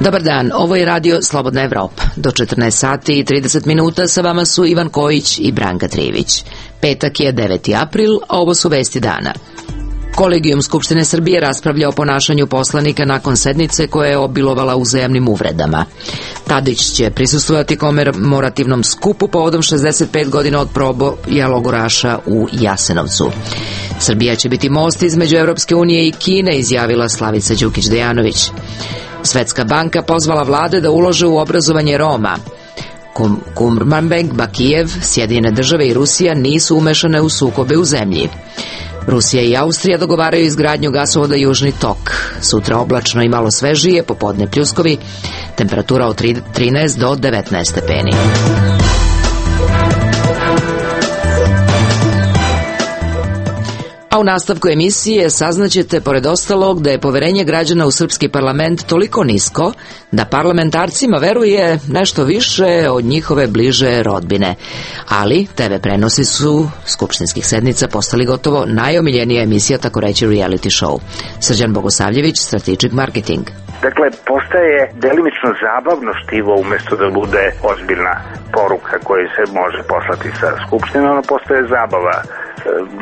Dobar dan, ovo je radio Slobodna Evropa. Do 14 sati i 30 minuta sa vama su Ivan Kojić i Branka Trivić. Petak je 9. april, a ovo su vesti dana. Kolegijum Skupštine Srbije raspravlja o ponašanju poslanika nakon sednice koja je obilovala uzajamnim uvredama. Tadić će prisustvovati komemorativnom skupu povodom 65 godina od proboja logoraša u Jasenovcu. Srbija će biti most između Evropske unije i Kine, izjavila Slavica Đukić Dejanović. Svetska banka pozvala vlade da ulože u obrazovanje Roma. Kurmanbek, Bakijev, Sjedinjene države i Rusija nisu umešane u sukobe u zemlji. Rusija i Austrija dogovaraju izgradnju gasovoda Južni tok. Sutra oblačno i malo svežije, popodne pljuskovi, temperatura od 13 do 19 stepeni. A u nastavku emisije saznaćete, pored ostalog, da je poverenje građana u srpski parlament toliko nisko da parlamentarcima veruje nešto više od njihove bliže rodbine. Ali TV prenosi su skupštinskih sednica postali gotovo najomiljenija emisija, tako reći reality show. Srđan Bogosavljević, Strategic Marketing. Dakle, postaje delimično zabavno štivo umesto da bude ozbiljna poruka koja se može poslati sa skupštine, ono postaje zabava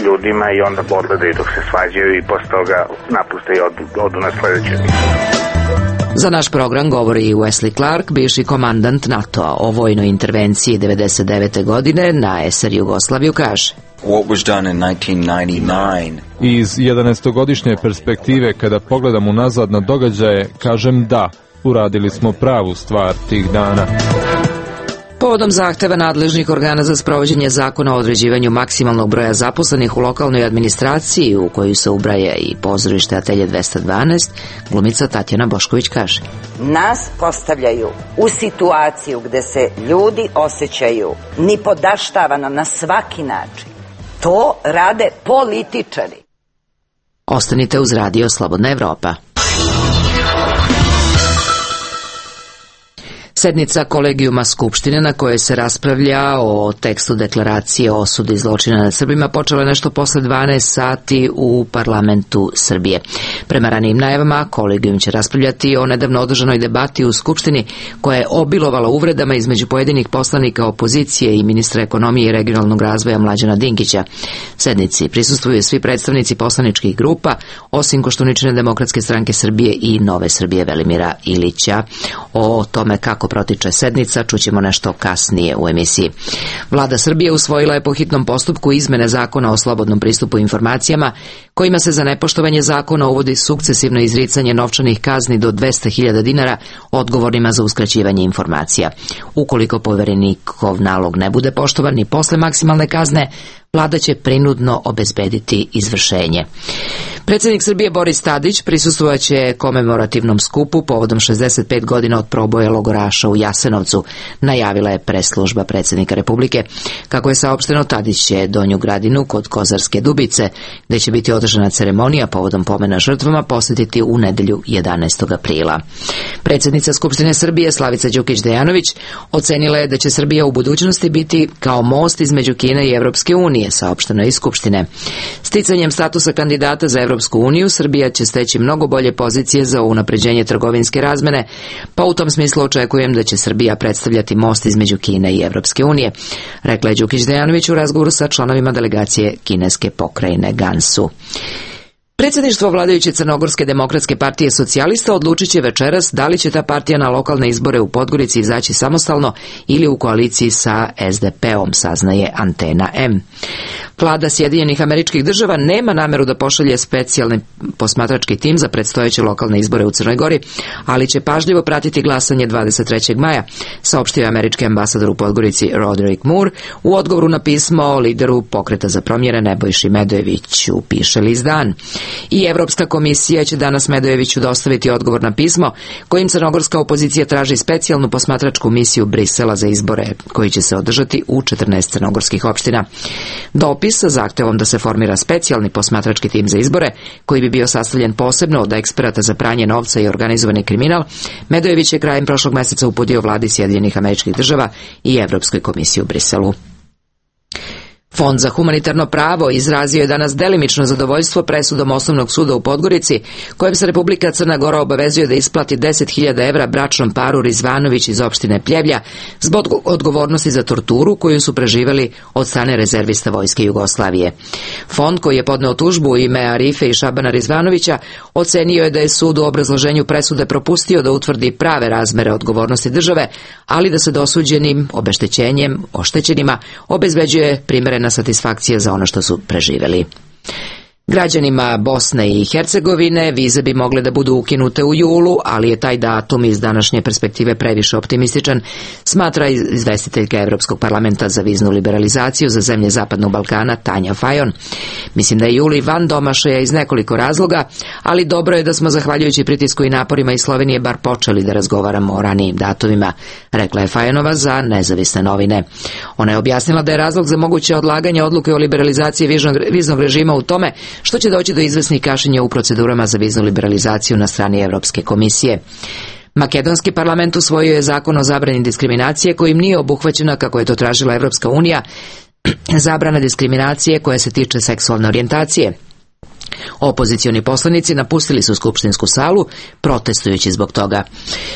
ljudima i onda odgledaju dok se svađaju i posle toga napuste i odu na sledeću emisiju. Za naš program govori i Wesley Clark, bivši komandant NATO-a. O vojnoj intervenciji 1999. godine na SR Jugoslaviju kaže: What was done in 1999. Iz 11-godišnje perspektive, kada pogledam unazad na događaje, kažem da, uradili smo pravu stvar tih dana. Povodom zahteva nadležnih organa za sprovođenje zakona o određivanju maksimalnog broja zaposlenih u lokalnoj administraciji, u koju se ubraja i pozorište Atelje 212, glumica Tatjana Bošković kaže: Nas postavljaju u situaciju gde se ljudi osjećaju nipodaštavano na svaki način. To rade političari. Ostanite uz radio Slobodna Evropa. Sednica Kolegijuma Skupštine na kojoj se raspravlja o tekstu deklaracije o osudi zločina nad Srbima počela je nešto posle 12 sati u parlamentu Srbije. Prema ranijim najavama, Kolegijum će raspravljati o nedavno održanoj debati u Skupštini koja je obilovala uvredama između pojedinih poslanika opozicije i ministra ekonomije i regionalnog razvoja Mlađana Dinkića. Sednici prisustvuju svi predstavnici poslaničkih grupa, osim Koštuničine demokratske stranke Srbije i Nove Srbije Velimira Ilića. O tome kako protiče sednica čućemo nešto kasnije u emisiji. Vlada Srbije usvojila je po hitnom postupku izmene zakona o slobodnom pristupu informacijama, kojima se za nepoštovanje zakona uvodi sukcesivno izricanje novčanih kazni do 200.000 dinara odgovornima za uskraćivanje informacija. Ukoliko poverenikov nalog ne bude poštovan ni posle maksimalne kazne, vlada će prinudno obezbediti izvršenje. Predsjednik Srbije Boris Tadić prisustvovaće komemorativnom skupu povodom 65 godina od proboja logoraša u Jasenovcu, najavila je presslužba predsjednika Republike. Kako je saopšteno, Tadić će Donju Gradinu kod Kozarske Dubice, gde će biti održana ceremonija povodom pomena žrtvama, posjetiti u nedelju 11. aprila. Predsjednica Skupštine Srbije Slavica Đukić Dejanović ocenila je da će Srbija u budućnosti biti kao most između Kine i Evropske unije, saopšteno iz Skupštine. Sticanjem statusa kandidata za Evropsku uniju, Srbija će steći mnogo bolje pozicije za unapređenje trgovinske razmene, pa u tom smislu očekujem da će Srbija predstavljati most između Kine i Evropske unije, rekla je Đukić Dejanović u razgovoru sa članovima delegacije kineske pokrajine Gansu. Predsjedništvo vladajuće Crnogorske demokratske partije socijalista odlučit će večeras da li će ta partija na lokalne izbore u Podgorici izaći samostalno ili u koaliciji sa SDP-om, saznaje Antena M. Vlada Sjedinjenih Američkih Država nema nameru da pošalje specijalni posmatrački tim za predstojeće lokalne izbore u Crnoj Gori, ali će pažljivo pratiti glasanje 23. maja, saopštio je američki ambasador u Podgorici Roderick Moore u odgovoru na pismo lideru Pokreta za promjene Nebojši Medojeviću, piše list Dan. I Evropska komisija će danas Medojeviću dostaviti odgovor na pismo kojim crnogorska opozicija traži specijalnu posmatračku misiju Brisela za izbore koji će se održati u 14 crnogorskih opština. Dopis sa zahtevom da se formira specijalni posmatrački tim za izbore, koji bi bio sastavljen posebno od eksperata za pranje novca i organizovani kriminal, Medojević je krajem prošlog meseca uputio vladi Sjedinjenih Američkih Država i Evropskoj komisiji u Briselu. Fond za humanitarno pravo izrazio je danas delimično zadovoljstvo presudom Osnovnog suda u Podgorici, kojem se Republika Crna Gora obavezuje da isplati 10.000 evra bračnom paru Rizvanović iz opštine Pljevlja zbog odgovornosti za torturu koju su preživeli od strane rezervista Vojske Jugoslavije. Fond, koji je podneo tužbu u ime Arife i Šabana Rizvanovića, ocenio je da je sud u obrazloženju presude propustio da utvrdi prave razmere odgovornosti države, ali da se dosuđenim oštećenima obezbeđuje primerena satisfakcija za ono što su preživeli. Građanima Bosne i Hercegovine vize bi mogle da budu ukinute u julu, ali je taj datum iz današnje perspektive previše optimističan, smatra izvestiteljka Evropskog parlamenta za viznu liberalizaciju za zemlje Zapadnog Balkana Tanja Fajon. Mislim da je juli van domašaja iz nekoliko razloga, ali dobro je da smo zahvaljujući pritisku i naporima iz Slovenije bar počeli da razgovaramo o ranijim datumima, rekla je Fajonova za Nezavisne novine. Ona je objasnila da je razlog za moguće odlaganje odluke o liberalizaciji viznog režima u tome što će doći do izvesnih kašnjenja u procedurama za viznu liberalizaciju na strani Evropske komisije. Makedonski parlament usvojio je zakon o zabrani diskriminacije kojim nije obuhvaćena, kako je to tražila Evropska unija, zabrana diskriminacije koja se tiče seksualne orijentacije. Opozicioni poslanici napustili su skupštinsku salu protestujući zbog toga.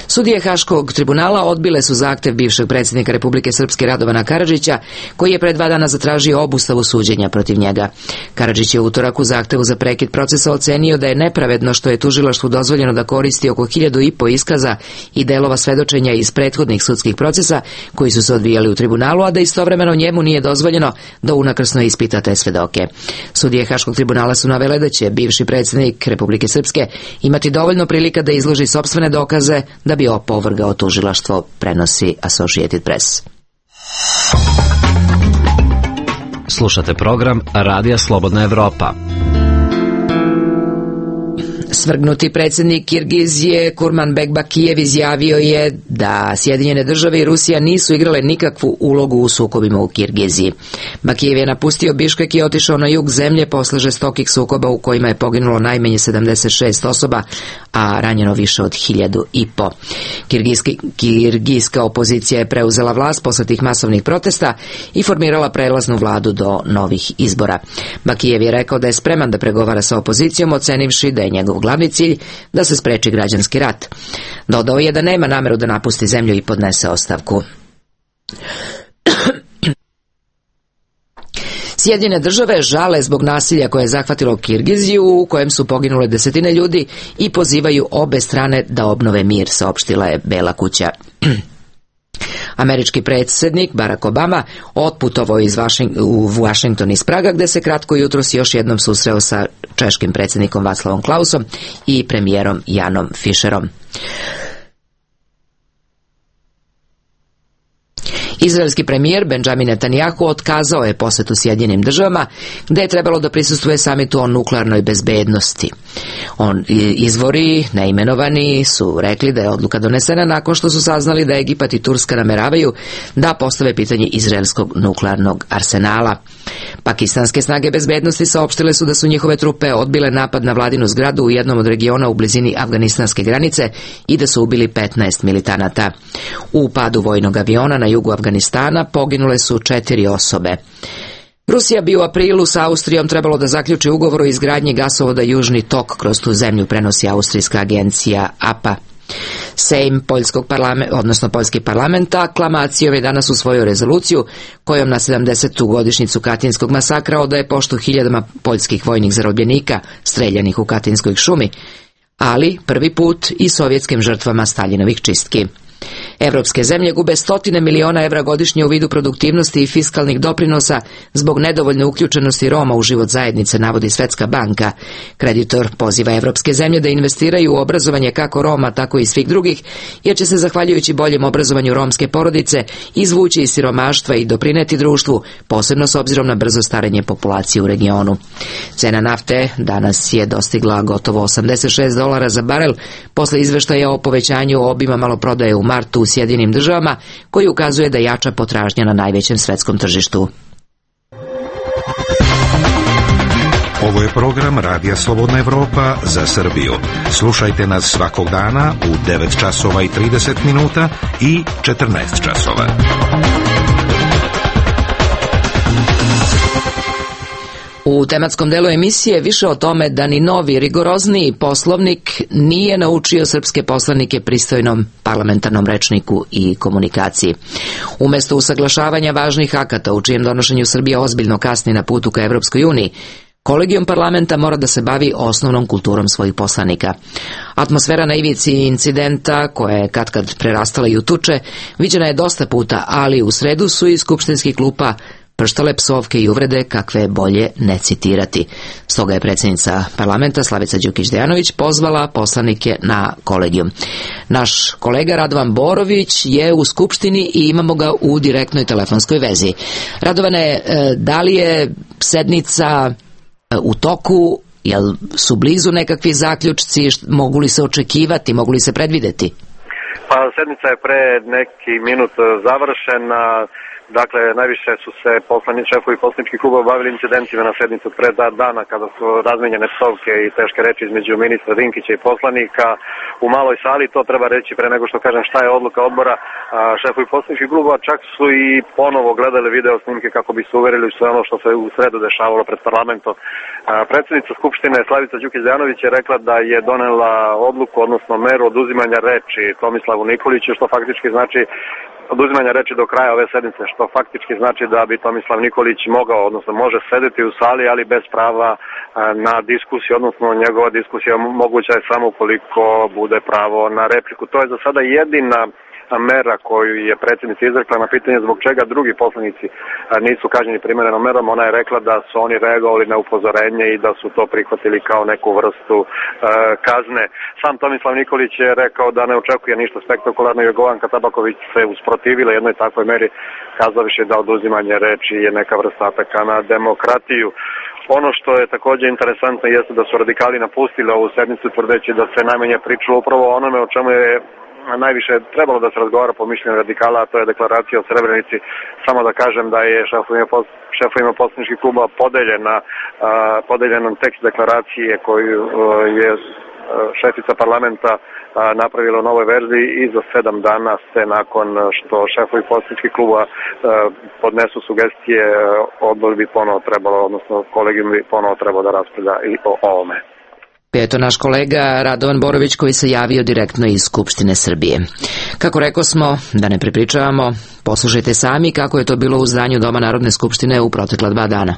Sudije Haškog tribunala odbile su zahtev bivšeg predsjednika Republike Srpske Radovana Karadžića, koji je pre 2 dana zatražio obustavu suđenja protiv njega. Karadžić je u utorak u zahtevu za prekid procesa ocenio da je nepravedno što je tužilaštvu dozvoljeno da koristi oko 1.500 iskaza i delova svedočenja iz prethodnih sudskih procesa koji su se odvijali u tribunalu, a da istovremeno njemu nije dozvoljeno da unakrsno ispita te svedoke. Sudije Haškog tribunala su navele da će bivši predsjednik Republike Srpske imati dovoljno prilika da izloži sopstvene dokaze da bi opovrgao tužilaštvo, prenosi Associated Press. Slušate program Radija Slobodna Evropa. Svrgnuti predsjednik Kirgizije Kurmanbek Bakijev izjavio je da Sjedinjene države i Rusija nisu igrale nikakvu ulogu u sukobima u Kirgiziji. Bakijev je napustio Biškek i otišao na jug zemlje posle žestokih sukoba u kojima je poginulo najmanje 76 osoba, a ranjeno više od 1.500. Kirgijska opozicija je preuzela vlast posle tih masovnih protesta i formirala prelaznu vladu do novih izbora. Bakijev je rekao da je spreman da pregovara sa opozicijom, ocenivši da je njegov glavni cilj da se spreči građanski rat. Dodao je da nema nameru da napusti zemlju i podnese ostavku. Sjedinjene države žale zbog nasilja koje je zahvatilo Kirgiziju, u kojem su poginule desetine ljudi, i pozivaju obe strane da obnove mir, saopštila je Bela kuća. Američki predsjednik Barack Obama otputovao u Washington iz Praga, gde se kratko jutros još jednom susreo sa češkim predsjednikom Václavom Klausom i premijerom Janom Fischerom. Izraelski premijer Benjamin Netanjahu otkazao je posetu Sjedinjenim državama, gde je trebalo da prisustvuje samitu o nuklearnoj bezbednosti. Izvori neimenovani su rekli da je odluka donesena nakon što su saznali da Egipat i Turska nameravaju da postave pitanje izraelskog nuklearnog arsenala. Pakistanske snage bezbednosti saopštile su da su njihove trupe odbile napad na vladinu zgradu u jednom od regiona u blizini afganistanske granice i da su ubili 15 militanata. U padu vojnog aviona na jugu Afganistana poginule su 4 osobe. Rusija bi u aprilu sa Austrijom trebalo da zaključi ugovor o izgradnji gasovoda Južni tok kroz tu zemlju, prenosi austrijska agencija APA. Sejm poljski parlament aklamacijom je danas usvojio rezoluciju kojom na 70. godišnjicu Katinskog masakra odaje poštu hiljadama poljskih vojnih zarobljenika streljanih u Katinskoj šumi, ali prvi put i sovjetskim žrtvama Staljinovih čistki. Evropske zemlje gube stotine miliona evra godišnje u vidu produktivnosti i fiskalnih doprinosa zbog nedovoljne uključenosti Roma u život zajednice, navodi Svetska banka. Kreditor poziva evropske zemlje da investiraju u obrazovanje kako Roma, tako i svih drugih, jer će se zahvaljujući boljem obrazovanju romske porodice izvući iz siromaštva i doprineti društvu, posebno s obzirom na brzo starenje populacije u regionu. Cena nafte danas je dostigla gotovo $86 za barel posle izveštaja o povećanju obima maloprodaje u martu u Sjedinim državama, koji ukazuje da jača potražnja na najvećem svetskom tržištu. Ovo je program Radija Slobodna Evropa za Srbiju. Slušajte nas svakog dana u 9 časova i 30 minuta i 14 časova. U tematskom delu emisije više o tome da ni novi, rigorozniji poslovnik nije naučio srpske poslanike pristojnom parlamentarnom rečniku i komunikaciji. Umesto usaglašavanja važnih akata u čijem donošenju Srbija ozbiljno kasni na putu ka Evropskoj uniji, Kolegijum parlamenta mora da se bavi osnovnom kulturom svojih poslanika. Atmosfera na ivici incidenta, koja je katkad prerastala i u tuče, viđena je dosta puta, ali u sredu su iz skupštinskih klupa prštale psovke i uvrede kakve je bolje ne citirati. Stoga je predsjednica parlamenta Slavica Đukić-Dejanović pozvala poslanike na kolegijum. Naš kolega Radovan Borović je u skupštini i imamo ga u direktnoj telefonskoj vezi. Radovane, da li je sednica u toku, jel su blizu nekakvi zaključci, mogu li se očekivati, mogu li se predvideti? Pa sednica je pre neki minut završena. Dakle, najviše su se šefovi poslaničkih klubova bavili incidentima na sednicu pre 2 dana kada su razmenjene psovke i teške reči između ministra Dinkića i poslanika u maloj sali. To treba reći pre nego što kažem šta je odluka odbora. Šefovi poslaničkih klubova čak su i ponovo gledali video snimke kako bi se uverili sve ono što se u sredu dešavalo pred parlamentom. Predsjednica Skupštine Slavica Đukić-Dejanović je rekla da je donela odluku, odnosno meru oduzimanja reči Tomislavu Nikoliću, što faktički znači oduzimanja reči do kraja ove sednice, što faktički znači da bi Tomislav Nikolić mogao, odnosno može sedeti u sali, ali bez prava na diskusiju, odnosno njegova diskusija moguća je samo ukoliko bude pravo na repliku. To je za sada jedina mera koju je predsjednica izrekla na pitanje zbog čega drugi poslanici nisu kažnjeni primerenom merom. Ona je rekla da su oni reagovali na upozorenje i da su to prihvatili kao neku vrstu kazne. Sam Tomislav Nikolić je rekao da ne očekuje ništa spektakularno i Jorgovanka Tabaković se usprotivila jednoj takvoj meri, kazavši da oduzimanje reči je neka vrsta ataka na demokratiju. Ono što je također interesantno jeste da su radikali napustili ovu sednicu tvrdeći da se najmanje pričalo upravo o onome o čemu je najviše trebalo da se razgovara po mišljenju radikala, a to je deklaracija o Srebrenici. Samo da kažem da je šefovima poslaničkih kluba podeljen tekst deklaracije koju je šefica parlamenta napravila u novoj verziji i za 7 dana se nakon što šefovi poslaničkih kluba podnesu sugestije, odbor bi ponovo trebalo, odnosno kolegijum bi ponovo trebalo da raspravlja i o ovome. Eto naš kolega Radovan Borović koji se javio direktno iz Skupštine Srbije. Kako rekao smo, da ne prepričavamo, poslušajte sami kako je to bilo u zdanju Doma Narodne skupštine u protekla 2 dana.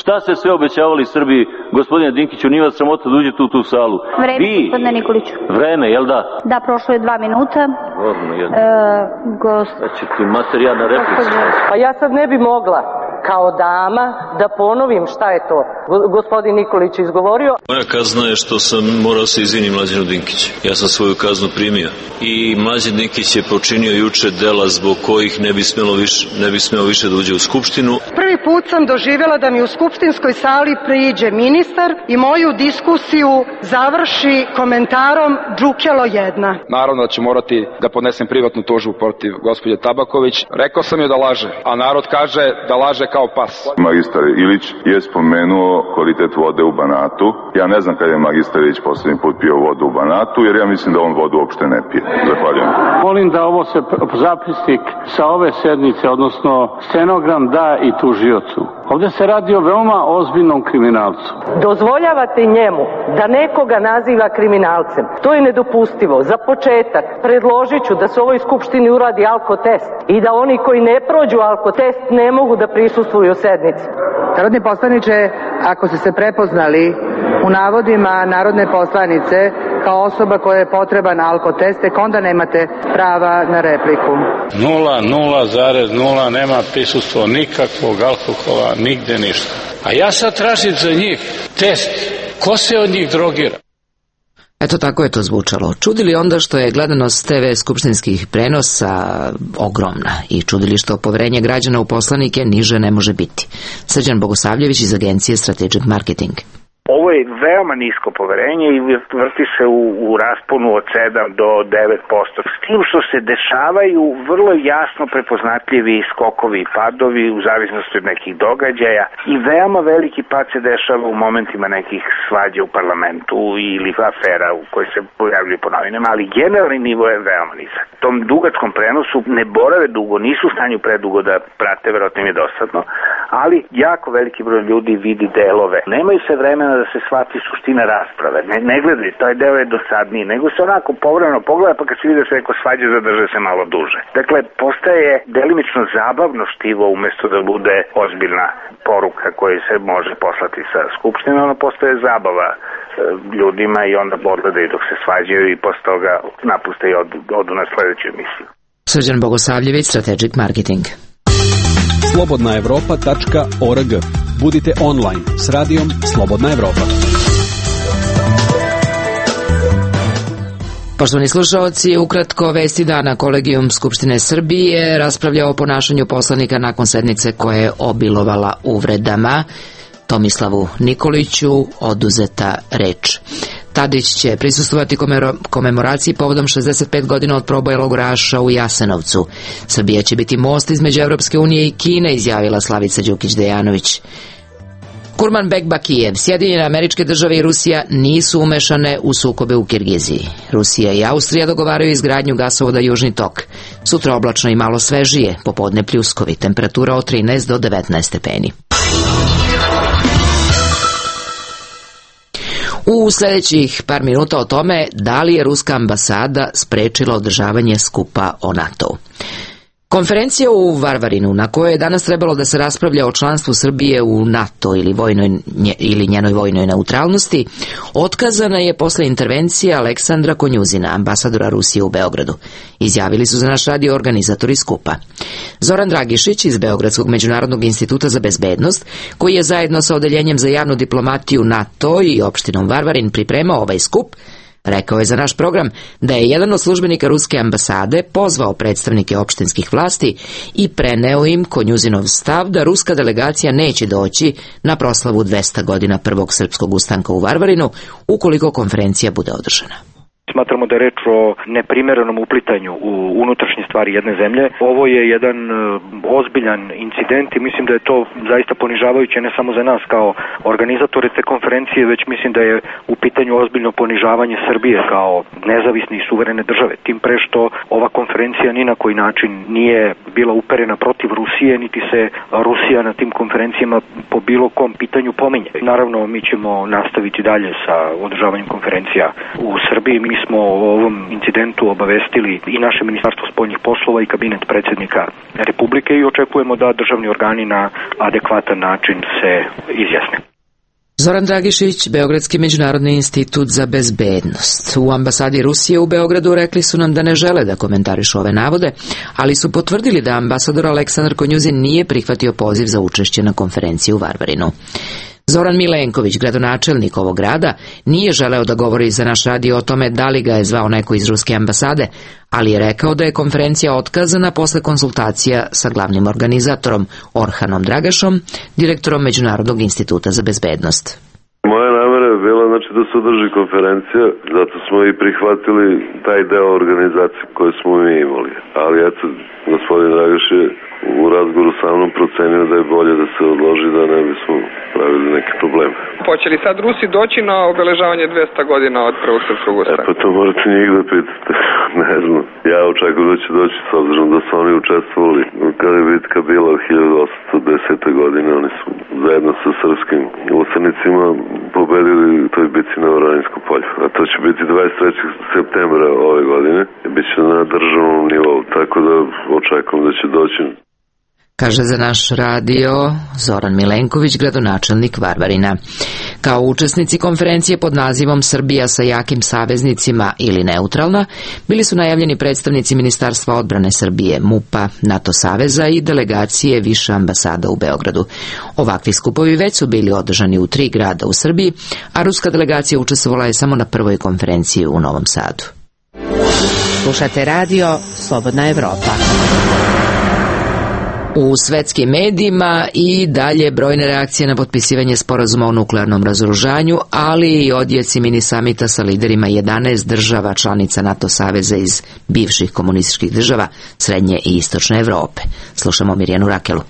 Šta ste sve obećavali Srbiji, gospodine Dinkiću, nije vas sramota da uđete u tu salu? Vreme, gospodine Nikoliću. Vreme, jel da? Da, prošlo je 2 minuta. Znači ti materijal na replici. Pa ja sad ne bi mogla kao dama da ponovim šta je to gospodin Nikolić izgovorio. Moja kazna je što sam morao se izvinim Mlađanu Dinkiću. Ja sam svoju kaznu primio. I Mlađan Dinkić je počinio juče dela zbog kojih ne bi smeo više da uđe u Skupštinu. Prvi put sam doživjela da mi u skupštinskoj sali priđe ministar i moju diskusiju završi komentarom džukelo jedna. Naravno da ću morati da podnesem privatnu tužbu protiv gospođe Tabaković. Rekao sam joj da laže, a narod kaže da laže kao pas. Magistar Ilić je spomenuo kvalitet vode u Banatu. Ja ne znam kad je magistar Ilić posljednji put pio vodu u Banatu, jer ja mislim da on vodu uopšte ne pije. Zahvaljujem. Molim da ovo se zapisnik sa ove sednice, odnosno stenogram da i tužiocu. Ovdje se radi o veoma ozbiljnom kriminalcu. Dozvoljavate njemu da nekoga naziva kriminalcem. To je nedopustivo. Za početak predložit ću da se u ovoj skupštini uradi alkotest i da oni koji ne prođu alkotest ne mogu da prisustvuju sednici. Narodni poslaniče, ako ste se prepoznali u navodima narodne poslanice kao osoba koja je potreban alkotest, tek onda nemate prava na repliku. 0,0 nema prisustvo nikakvog alkohola, nigde ništa. A ja sad tražim za njih test. Ko se od njih drogira? Eto tako je to zvučalo. Čudili onda što je gledanost TV skupštinskih prenosa ogromna i čudili što poverenje građana u poslanike niže ne može biti. Srđan Bogosavljević iz agencije Strategic Marketing. Ovo je veoma nisko poverenje i vrti se u rasponu od 7 do 9%. S tim što se dešavaju vrlo jasno prepoznatljivi skokovi i padovi u zavisnosti od nekih događaja i veoma veliki pad se dešava u momentima nekih svađa u parlamentu ili afera u kojoj se pojavljuju po novinama, ali generalni nivo je veoma nizak. Tom dugačkom prenosu ne borave dugo, nisu u stanju predugo da prate, verovatno im je dosadno, ali jako veliki broj ljudi vidi delove. Nemaju se vremena da se shvati suština rasprave. Ne gledaju, taj deo je dosadniji, nego se onako povremeno pogleda, pa kad se vidi da se neko svađa, zadrže se malo duže. Dakle, postaje delimično zabavno štivo umesto da bude ozbiljna poruka koja se može poslati sa Skupštine, ono postaje zabava ljudima i onda odgledaju dok se svađaju i posle toga napuste i odu na sledeću emisiju. Srđan Bogosavljević, Strategic Marketing. slobodnaevropa.org. Budite online s radijom Slobodna Evropa. Poštovani slušaoci, ukratko vesti dana. Kolegijum Skupštine Srbije raspravlja o ponašanju poslanika nakon sednice koja je obilovala uvredama. Tomislavu Nikoliću oduzeta reč. Tadić će prisustvovati komemoraciji povodom 65 godina od proboja logoraša u Jasenovcu. Srbija će biti most između Evropske unije i Kine, izjavila Slavica Đukić-Dejanović. Kurmanbek Bakijev, Sjedinjene Američke Države i Rusija nisu umešane u sukobe u Kirgiziji. Rusija i Austrija dogovaraju izgradnju gasovoda Južni tok. Sutra oblačno i malo svežije, popodne pljuskovi, temperatura od 13 do 19 stepeni. U sljedećih par minuta o tome da li je ruska ambasada sprečila održavanje skupa o NATO-u. Konferencija u Varvarinu, na kojoj je danas trebalo da se raspravlja o članstvu Srbije u NATO ili njenoj vojnoj neutralnosti, otkazana je posle intervencije Aleksandra Konjuzina, ambasadora Rusije u Beogradu. Izjavili su za naš radio organizatori skupa. Zoran Dragišić iz Beogradskog međunarodnog instituta za bezbednost, koji je zajedno sa odeljenjem za javnu diplomatiju NATO i opštinom Varvarin pripremao ovaj skup, rekao je za naš program da je jedan od službenika ruske ambasade pozvao predstavnike opštinskih vlasti i preneo im Konjuzinov stav da ruska delegacija neće doći na proslavu 200 godina prvog srpskog ustanka u Varvarinu ukoliko konferencija bude održana. Smatramo da je reč o neprimerenom uplitanju u unutrašnje stvari jedne zemlje. Ovo je jedan ozbiljan incident i mislim da je to zaista ponižavajuće ne samo za nas kao organizatore te konferencije, već mislim da je u pitanju ozbiljno ponižavanje Srbije kao nezavisne i suverene države. Tim pre što ova konferencija ni na koji način nije bila uperena protiv Rusije, niti se Rusija na tim konferencijama po bilo kom pitanju pominje. Naravno, mi ćemo nastaviti dalje sa održavanjem konferencija u Srbiji. Mi smo o ovom incidentu obavestili i naše Ministarstvo spoljnih poslova i kabinet predsjednika Republike i očekujemo da državni organi na adekvatan način se izjasne. Zoran Dragišić, Beogradski međunarodni institut za bezbednost. U ambasadi Rusije u Beogradu rekli su nam da ne žele da komentarišu ove navode, ali su potvrdili da ambasador Aleksandar Konjuzin nije prihvatio poziv za učešće na konferenciji u Varvarinu. Zoran Milenković, gradonačelnik ovog grada, nije želeo da govori za naš radio o tome da li ga je zvao neko iz ruske ambasade, ali je rekao da je konferencija otkazana posle konsultacija sa glavnim organizatorom Orhanom Dragašom, direktorom Međunarodnog instituta za bezbednost. Moja namera je bila da se održi konferencija, zato smo i prihvatili taj deo organizacije koje smo mi imali. Ali eto, gospodin Dragaš je u razgovoru sa mnom procenio da je bolje da se odloži, da ne bismo pravili neke probleme. Hoće li sad Rusi doći na obeležavanje 200 godina od prvog srpskog ustanka? Pa to morate njih da pitate. Ne znam. Ja očekujem da će doći s obzirom da su oni učestvovali. Kada je bitka bila 1810. godine, oni su zajedno sa srpskim ustanicima pobedili u toj bitci na Oraninskom polju. A to će biti 23. septembra ove godine. Biće na državnom nivou, tako da očekujem da će doći. Kaže za naš radio Zoran Milenković, gradonačelnik Varvarina. Kao učesnici konferencije pod nazivom Srbija sa jakim saveznicima ili neutralna, bili su najavljeni predstavnici Ministarstva odbrane Srbije, MUP-a, NATO saveza i delegacije više ambasada u Beogradu. Ovakvi skupovi već su bili održani u 3 grada u Srbiji, a ruska delegacija učestvovala je samo na prvoj konferenciji u Novom Sadu. Slušate radio Slobodna Evropa. U svetskim medijima i dalje brojne reakcije na potpisivanje sporazuma o nuklearnom razoružanju, ali i odjeci mini samita sa liderima 11 država članica NATO saveza iz bivših komunističkih država Srednje i Istočne Evrope. Slušamo Mirjanu Rakelu.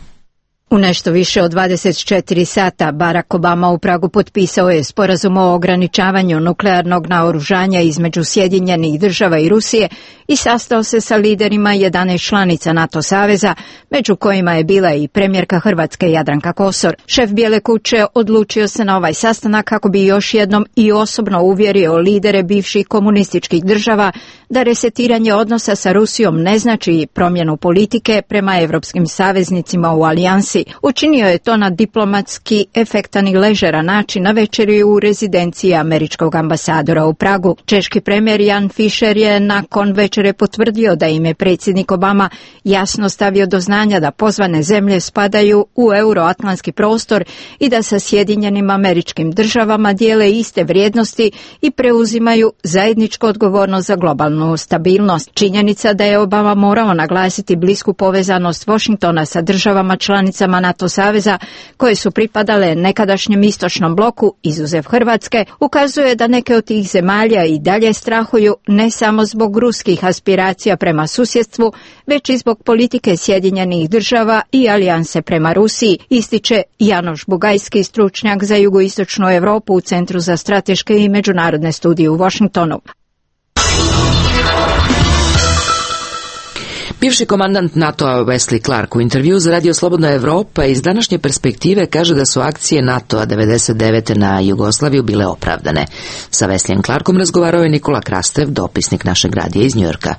U nešto više od 24 sata Barack Obama u Pragu potpisao je sporazum o ograničavanju nuklearnog naoružanja između Sjedinjenih Država i Rusije i sastao se sa liderima 11 članica NATO saveza, među kojima je bila i premijerka Hrvatske Jadranka Kosor. Šef Bijele kuće odlučio se na ovaj sastanak kako bi još jednom i osobno uvjerio lidere bivših komunističkih država da resetiranje odnosa sa Rusijom ne znači promjenu politike prema evropskim saveznicima u alijansi. Učinio je to na diplomatski efektan i ležeran način na večeri u rezidenciji američkog ambasadora u Pragu. Češki premijer Jan Fischer je nakon večere potvrdio da im je predsjednik Obama jasno stavio do znanja da pozvane zemlje spadaju u euroatlantski prostor i da sa Sjedinjenim Američkim Državama dijele iste vrijednosti i preuzimaju zajedničku odgovornost za globalnu stabilnost. Činjenica da je Obama morao naglasiti blisku povezanost Washingtona sa državama članicama NATO saveza koje su pripadale nekadašnjem istočnom bloku, izuzev Hrvatske, ukazuje da neke od tih zemalja i dalje strahuju ne samo zbog ruskih aspiracija prema susjedstvu, već i zbog politike Sjedinjenih Država i alijanse prema Rusiji, ističe Janoš Bugajski, stručnjak za jugoistočnu Europu u Centru za strateške i međunarodne studije u Washingtonu. Bivši komandant NATO-a Wesley Clark u intervju za Radio Slobodna Evropa iz današnje perspektive kaže da su akcije NATO-a 99. na Jugoslaviju bile opravdane. Sa Wesleyem Clarkom razgovarao je Nikola Krastev, dopisnik našeg radija iz Njujorka.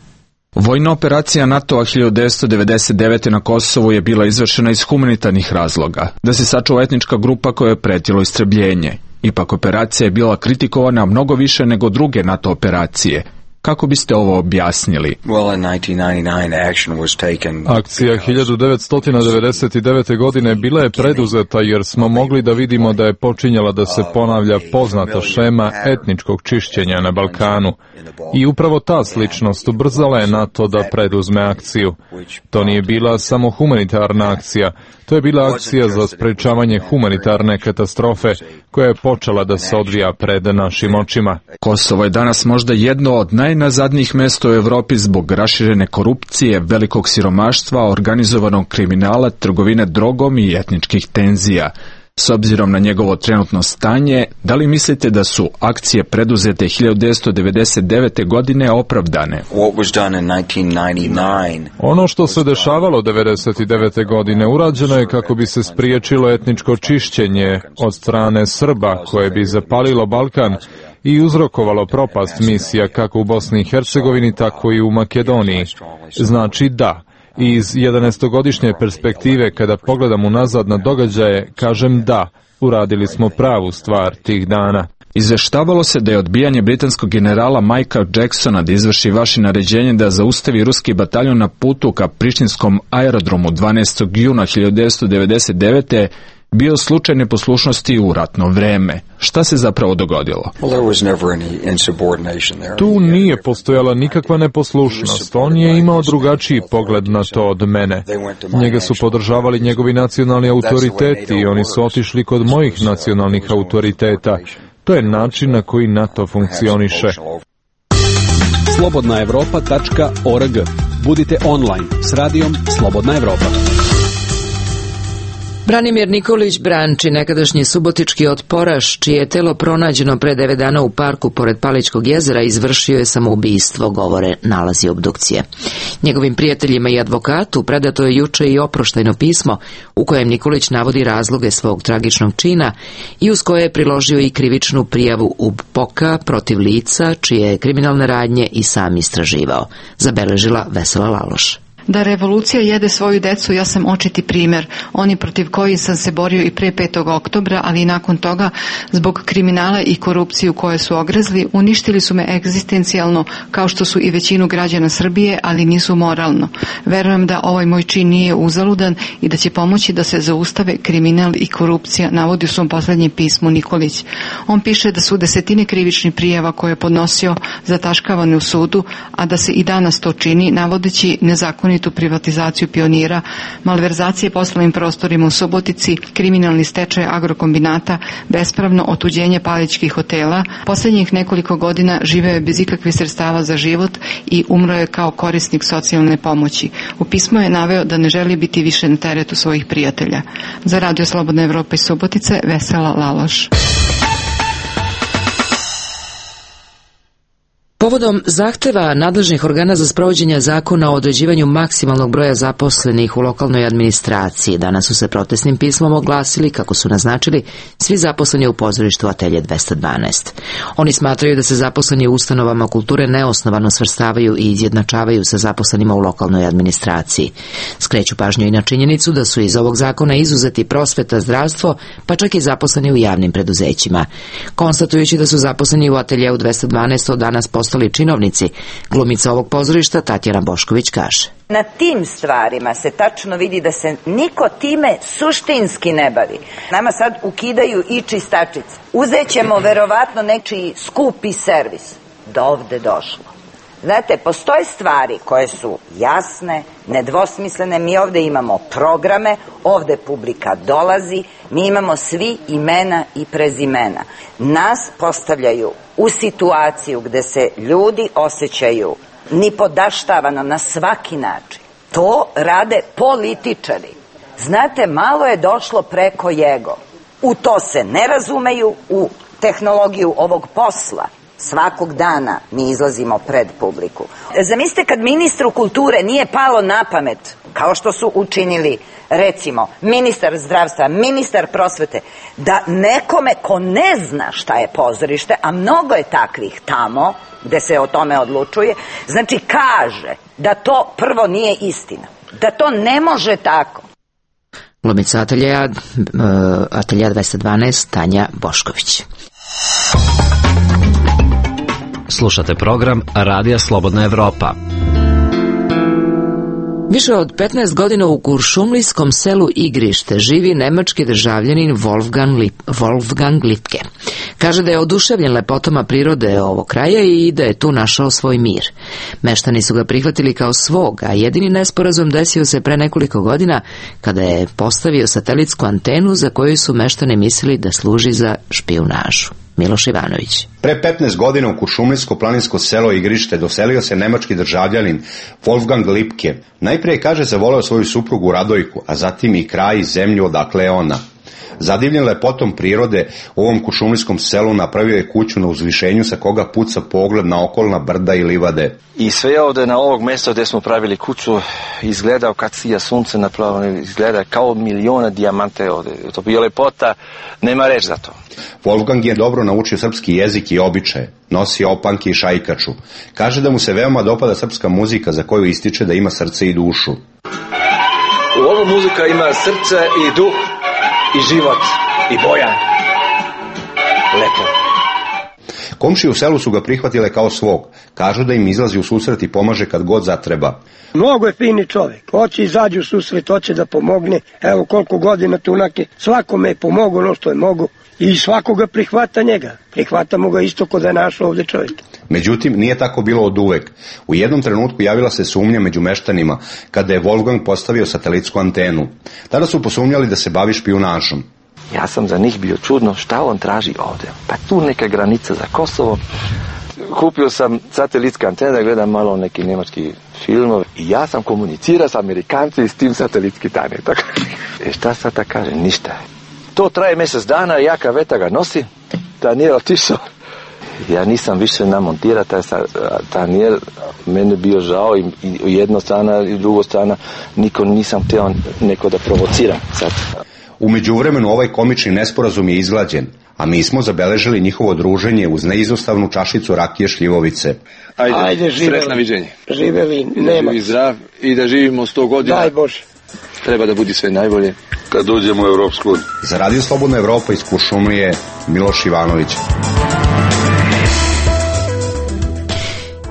Vojna operacija NATO-a 1999. na Kosovu je bila izvršena iz humanitarnih razloga, da se sačuva etnička grupa koja je pretilo istrebljenje. Ipak operacija je bila kritikovana mnogo više nego druge NATO operacije. Kako biste ovo objasnili? Akcija 1999. godine bila je preduzeta jer smo mogli da vidimo da je počinjala da se ponavlja poznata šema etničkog čišćenja na Balkanu. I upravo ta sličnost ubrzala je NATO da preduzme akciju. To nije bila samo humanitarna akcija, to je bila akcija za sprečavanje humanitarne katastrofe koja je počela da se odvija pred našim očima. Kosovo je danas možda jedno od najnazadnijih mesta u Evropi zbog raširene korupcije, velikog siromaštva, organizovanog kriminala, trgovine drogom i etničkih tenzija. S obzirom na njegovo trenutno stanje, da li mislite da su akcije preduzete 1999. godine opravdane? Ono što se dešavalo 1999. godine urađeno je kako bi se spriječilo etničko čišćenje od strane Srba koje bi zapalilo Balkan i uzrokovalo propast misija kako u Bosni i Hercegovini, tako i u Makedoniji. Znači da. Iz 11-godišnje perspektive, kada pogledam unazad na događaje, kažem da, uradili smo pravu stvar tih dana. Izveštavalo se da je odbijanje britanskog generala Michaela Jacksona da izvrši vaše naređenje da zaustavi ruski bataljon na putu ka prištinskom aerodromu 12. juna 1999. bio slučaj neposlušnosti u ratno vreme. Šta se zapravo dogodilo? Tu nije postojala nikakva neposlušnost. On je imao drugačiji pogled na to od mene. Njega su podržavali njegovi nacionalni autoriteti i oni su otišli kod mojih nacionalnih autoriteta. To je način na koji NATO funkcioniše. slobodnaevropa.org. Budite online s radijom Slobodna Evropa. Branimir Nikolić Branči, nekadašnji subotički otporaš, čije je telo pronađeno pre 9 dana u parku pored Paličkog jezera, izvršio je samoubistvo, govore nalazi obdukcije. Njegovim prijateljima i advokatu predato je juče i oproštajno pismo u kojem Nikolić navodi razloge svog tragičnog čina i uz koje je priložio i krivičnu prijavu UBPOK-a protiv lica čije je kriminalne radnje i sam istraživao, zabeležila Vesela Laloš. Da revolucija jede svoju decu, ja sam očiti primjer. Oni protiv kojih sam se borio i pre 5. oktobra, ali i nakon toga, zbog kriminala i korupciju koje su ogrezli, uništili su me egzistencijalno, kao što su i većinu građana Srbije, ali nisu moralno. Verujem da ovaj moj čin nije uzaludan i da će pomoći da se zaustave kriminal i korupcija, navodi u svom posljednjem pismu Nikolić. On piše da su desetine krivičnih prijava koje je podnosio zataškavane u sudu, a da se i danas to čini, navodeći nezakonito nezakonitu privatizaciju Pionira, malverzacije poslovnim prostorima u Subotici, kriminalni stečaj agrokombinata, bespravno otuđenje Palićkih hotela. Posljednjih nekoliko godina živeo je bez ikakvih sredstava za život i umro je kao korisnik socijalne pomoći. U pismu je naveo da ne želi biti više na teretu svojih prijatelja. Za Radio Slobodna Evropa iz Subotice, Vesela Laloš. Povodom zahteva nadležnih organa za sprovođenje zakona o određivanju maksimalnog broja zaposlenih u lokalnoj administraciji, danas su se protestnim pismom oglasili, kako su naznačili, svi zaposleni u pozorištu Atelje 212. Oni smatraju da se zaposleni u ustanovama kulture neosnovano svrstavaju i izjednačavaju sa zaposlenima u lokalnoj administraciji. Skreću pažnju i na činjenicu da su iz ovog zakona izuzeti prosveta, zdravstvo, pa čak i zaposleni u javnim preduzećima. Konstatujući da su zaposleni u Ateljeu 212 od danas postali činovnici, glumica ovog pozorišta Tatjana Bošković kaže: Na tim stvarima se tačno vidi da se niko time suštinski ne bavi. Nama sad ukidaju i čistačice. Uzet ćemo verovatno nečiji skupi servis. Do ovde došlo. Znate, postoje stvari koje su jasne, nedvosmislene. Mi ovde imamo programe, ovde publika dolazi, mi imamo svi imena i prezimena. Nas postavljaju u situaciju gde se ljudi osjećaju nipodaštavano na svaki način. To rade političari. Znate, malo je došlo preko jego. U to se ne razumeju, u tehnologiju ovog posla. Svakog dana mi izlazimo pred publiku. Zamislite kad ministru kulture nije palo na pamet, kao što su učinili, recimo, ministar zdravstva, ministar prosvete, da nekome ko ne zna šta je pozorište, a mnogo je takvih tamo, gde se o tome odlučuje, znači kaže da to prvo nije istina, da to ne može tako. Glumica Atelja 212 Tanja Bošković. Slušate program Radija Slobodna Evropa. Više od 15 godina u kuršumlijskom selu Igrište živi nemački državljanin Wolfgang Lipke. Kaže da je oduševljen lepotama prirode ovog kraja i da je tu našao svoj mir. Meštani su ga prihvatili kao svog, a jedini nesporazum desio se pre nekoliko godina kada je postavio satelitsku antenu za koju su meštani mislili da služi za špijunažu. Miloš Ivanović. Pre 15 godina u kuršumlijsko-planinsko selo Igrište doselio se nemački državljanin Wolfgang Lipke. Najprije, kaže, zavoleo svoju suprugu Radojku, a zatim i kraj i zemlju odakle je ona. Zadivljen lepotom prirode, u ovom kuršumlijskom selu napravio je kuću na uzvišenju sa koga puca pogled na okolna brda i livade. I sve ovde na ovog mesta gde smo pravili kuću izgleda kad sija sunce napravljeno, izgleda kao miliona dijamante ovde. To je lepota, nema reč za to. Wolfgang je dobro naučio srpski jezik i običaje, nosi opanke i šajkaču. Kaže da mu se veoma dopada srpska muzika za koju ističe da ima srce i dušu. Ova muzika ima srce i duh i život i boja. Lepo. Komšije u selu su ga prihvatile kao svog. Kažu da im izlazi u susret i pomaže kad god zatreba. Mnogo je fini čovjek. Hoće izađu u susret, hoće da pomogne. Evo koliko godina tunake. Svakome je pomogao ono što je mogu. I svakoga prihvata njega. Prihvatamo ga isto kod da je našao ovde čovjek. Međutim, nije tako bilo od uvek. U jednom trenutku javila se sumnja među meštanima kada je Wolfgang postavio satelitsku antenu. Tada su posumnjali da se bavi špijunažom. Ja sam za njih bio čudno šta on traži ovde. Pa tu neka granica za Kosovo. Kupio sam satelitske antene da gledam malo neki nemački filmove i ja sam komunicirao s Amerikanci s tim satelitski tane. Šta sad da kaže? Ništa. To traje mjesec dana, jaka veta ga nosi, Daniel otišao. Ja nisam više namontirao taj Daniel, meni bio žao i jedna strana i druga strana, niko nisam htio neko da provociram sad. U međuvremenu ovaj komični nesporazum je izglađen, a mi smo zabeležili njihovo druženje uz neizostavnu čašicu rakije šljivovice. Ajde sretna viđenje. Živeli, nema. Živi zdrav i da živimo 100 godina. Daj Bože. Treba da budi sve najbolje. Kad uđemo u Evropsku uniju. Za Radio Slobodna Evropa iz Kuršumlije, Miloš Ivanović.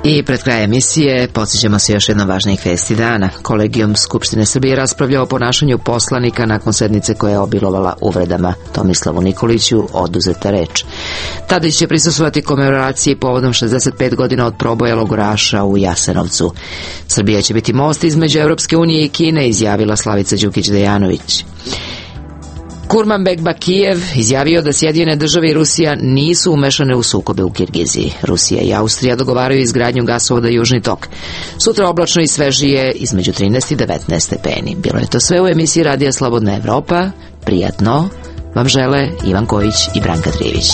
I pred kraj emisije podsjećamo se još jedno važnih vesti dana. Kolegijum Skupštine Srbije raspravlja o ponašanju poslanika nakon sednice koja je obilovala uvredama. Tomislavu Nikoliću oduzeta reč. Tadić će prisustvovati komemoraciji povodom 65 godina od proboja logoraša u Jasenovcu. Srbija će biti most između Evropske unije i Kine, izjavila Slavica Đukić-Dejanović. Kurmanbek Bakijev izjavio da Sjedinjene države i Rusija nisu umešane u sukobe u Kirgiziji. Rusija i Austrija dogovaraju izgradnju gasovoda Južni tok. Sutra oblačno i svežije između 13 i 19 stepeni. Bilo je to sve u emisiji Radija Slobodna Evropa. Prijatno vam žele Ivan Kojić i Branka Trijević.